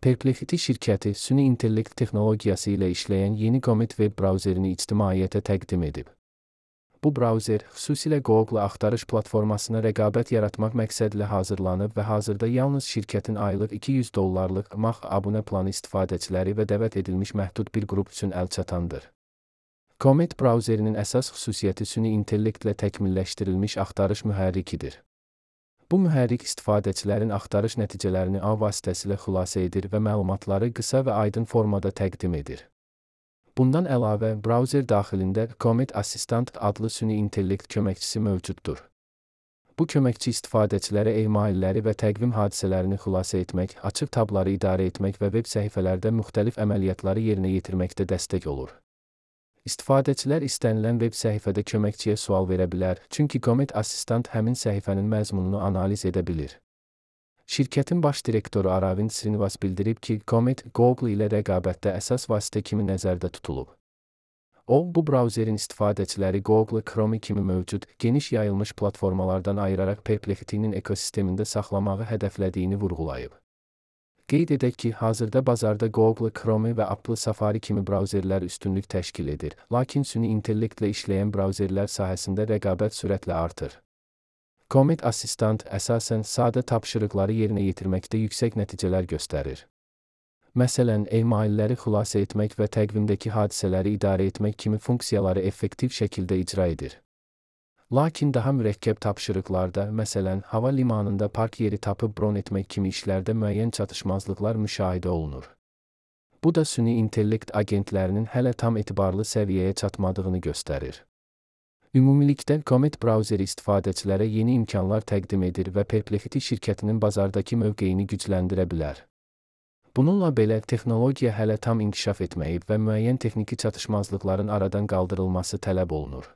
Perplexity şirkəti süni intellekt texnologiyası ilə işləyən yeni Comet web brauzerini ictimaiyyətə təqdim edib. Bu brauzer xüsusilə Google axtarış platformasına rəqabət yaratmaq məqsədilə hazırlanıb və hazırda yalnız şirkətin aylıq $200 MAX abunə planı istifadəçiləri və dəvət edilmiş məhdud bir qrup üçün əlçatandır. Comet brauzerinin əsas xüsusiyyəti süni intellektlə təkmilləşdirilmiş axtarış mühərrikidir. Bu mühərrik istifadəçilərin axtarış nəticələrini A vasitəsilə xülasə edir və məlumatları qısa və aydın formada təqdim edir. Bundan əlavə, brauzer daxilində Comet Assistant adlı süni intellekt köməkçisi mövcuddur. Bu köməkçi istifadəçilərə emailləri və təqvim hadisələrini xülasə etmək, açıq tabları idarə etmək və web səhifələrdə müxtəlif əməliyyatları yerinə yetirməkdə dəstək olur. İstifadəçilər istənilən web səhifədə köməkçiyə sual verə bilər, çünki Comet Assistant həmin səhifənin məzmununu analiz edə bilir. Şirkətin baş direktoru Aravind Srinivas bildirib ki, Comet Google ilə rəqabətdə əsas vasitə kimi nəzərdə tutulub. O, bu brauzerin istifadəçiləri Google Chrome kimi mövcud, geniş yayılmış platformalardan ayıraraq Perplexity'nin ekosistemində saxlamağı hədəflədiyini vurğulayıb. Qeyd edək ki, hazırda bazarda Google Chrome və Apple Safari kimi brauzerlər üstünlük təşkil edir, lakin süni intellektlə işləyən brauzerlər sahəsində rəqabət sürətlə artır. Comet Assistant əsasən sadə tapşırıqları yerinə yetirməkdə yüksək nəticələr göstərir. Məsələn, emailləri xülasə etmək və təqvimdəki hadisələri idarə etmək kimi funksiyaları effektiv şəkildə icra edir. Lakin daha mürəkkəb tapşırıqlarda, məsələn, hava limanında park yeri tapıb bron etmək kimi işlərdə müəyyən çatışmazlıqlar müşahidə olunur. Bu da süni intellekt agentlərinin hələ tam etibarlı səviyyəyə çatmadığını göstərir. Ümumilikdə, Comet brauzeri istifadəçilərə yeni imkanlar təqdim edir və Perplexity şirkətinin bazardakı mövqeyini gücləndirə bilər. Bununla belə, texnologiya hələ tam inkişaf etməyib və müəyyən texniki çatışmazlıqların aradan qaldırılması tələb olunur.